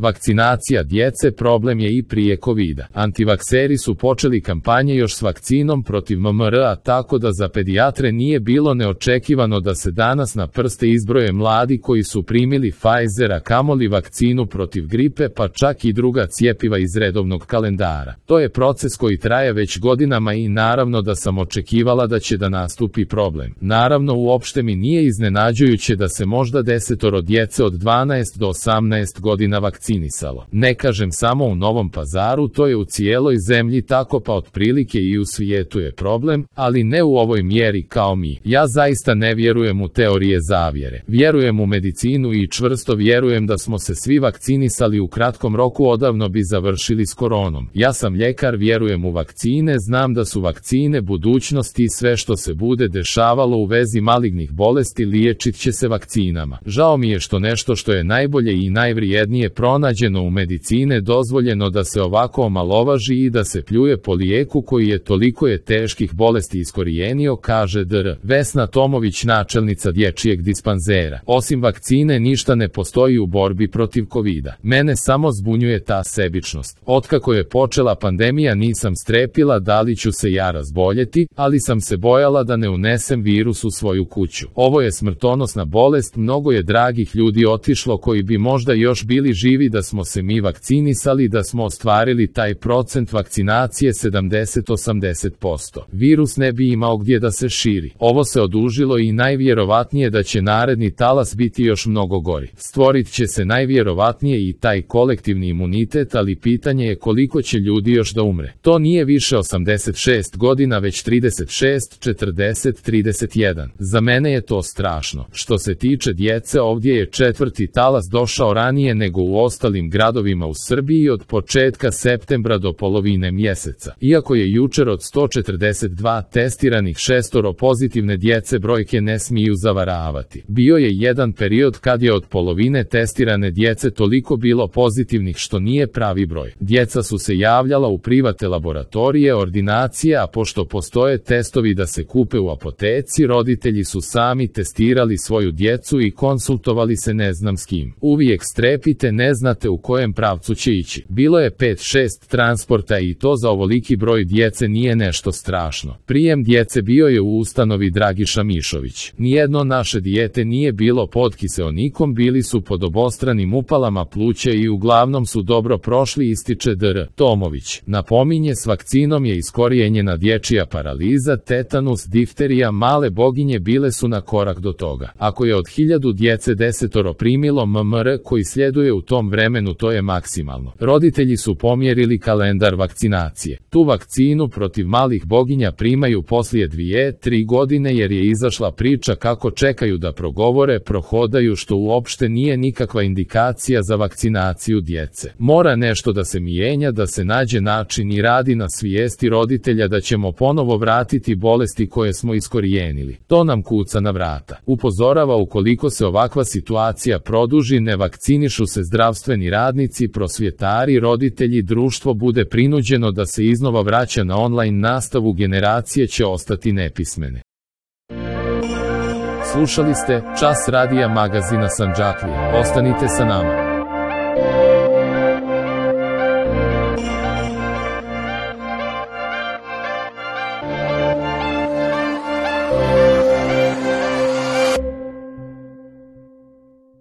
Vakcinacija djece problem je i prije covida. Antivakseri su počeli kampanje još s vakcinom protiv MMR-a, tako da za pedijatre nije bilo neočekivano da se danas na prste izbroje mladi koji su primili Pfizera, kamoli vakcinu protiv gripe, pa čak i druga cjepiva iz redovnog kalendara. To je proces koji traje već godinama i naravno da sam očekivala da će da nastupi problem. Naravno, uopšte mi nije iznenađujuće da se možda 10 djece od 12 do 18 godina vakcinisalo. Ne kažem samo u Novom Pazaru, to je u cijeloj zemlji tako, pa otprilike i u svijetu je problem, ali ne u ovoj mjeri kao mi. Ja zaista ne vjerujem u teorije zavjere. Vjerujem u medicinu i čvrsto vjerujem da smo se svi vakcinisali u kratkom roku, odavno bi završili s koronom. Ja sam ljekar, vjerujem u vakcine, znam da su vakcine budućnosti i sve što se bude dešavalo u vezi malignih bolesti liječit će se vakcinama. Žao mi je što nešto što je najbolje i najvrijednije pronađeno u medicine dozvoljeno da se ovako omalovaži i da se pljuje po lijeku koji je toliko teških bolesti iskorijenio, kaže dr. Vesna Tomović, načelnica dječjeg dispanzera. Osim vakcine ništa ne postoji u borbi protiv covida. Mene samo zbunjuje ta sebičnost. Otkako je počela pandemija nisam strepila da li ću se ja razboljeti, ali sam se bojala da ne unesem virus u svoju kuću. Ovo je smrtonosna bolest, mnogo je dragih ljudi otišlo koji bi možda još bili živi da smo se mi vakcinisali, da smo ostvarili taj procent vakcinacije 70-80%. Virus ne bi imao gdje da se širi. Ovo se odužilo i najvjerovatnije da će naredni talas biti još mnogo gori. Stvorit će se najvjerovatnije i taj kolektivni imunitet, ali pitanje je koliko će ljudi još da umre. To nije više 86 godina, već 36, 40, 31. Za mene je to strašno. Što se tiče djece, ovdje je četvrti talas došao ranije nego u ostalim gradovima u Srbiji od početka septembra do polovine mjeseca. Iako je jučer od 142 testiranih 6 pozitivne djece, brojke ne smiju zavaravati. Bio je jedan period kad je od polovine testirane djece toliko bilo pozitivnih što nije pravi broj. Djeca su se javljala u private laboratorije, ordinacije, a pošto postoje testovi da se kupe u apoteci, roditelji su sami testirali svoju djecu i konsultovali se ne znam s kim. Uvijek strepite, ne znate u kojem pravcu će ići. Bilo je 5-6 transporta i to za ovoliki broj djece nije nešto strašno. Prijem djece bio je u ustanovi Dragiša Mišović. Nijedno naše dijete nije bilo pod kiseonikom, bili su pod obostranim upalama pluća i uglavnom su dobro prošli, ističe dr. Tomović. Napominje, s vakcinom je iskorijenjena dječja paraliza, tetanus, difterija, male boginje bile su na korak do toga. Ako je od 1000 djece 10 primilo MMR koji sljeduje u tom vremenu, to je maksimalno. Roditelji su pomjerili kalendar vakcinacije. Tu vakcinu protiv malih boginja primaju poslije 2-3 godine jer je izašla priča kako čekaju da progovore, prohodaju, što uopšte nije nikakva indikacija za vakcinaciju djece. Mora nešto da se mijenja, da se nađe način i radi na svijesti roditelja da ćemo ponovo vratiti bolesti koje smo iskorijenili. To nam kuca na vrata. Upozorava, ukoliko se ovakva situacija produži, ne vakcinišu se zdravstveni radnici, prosvjetari, roditelji, društvo bude prinuđeno da se iznova vraća na online nastavu, generacije će ostati nepismene. Slušali ste Čas radija magazina Sandžaklije. Ostanite sa nama.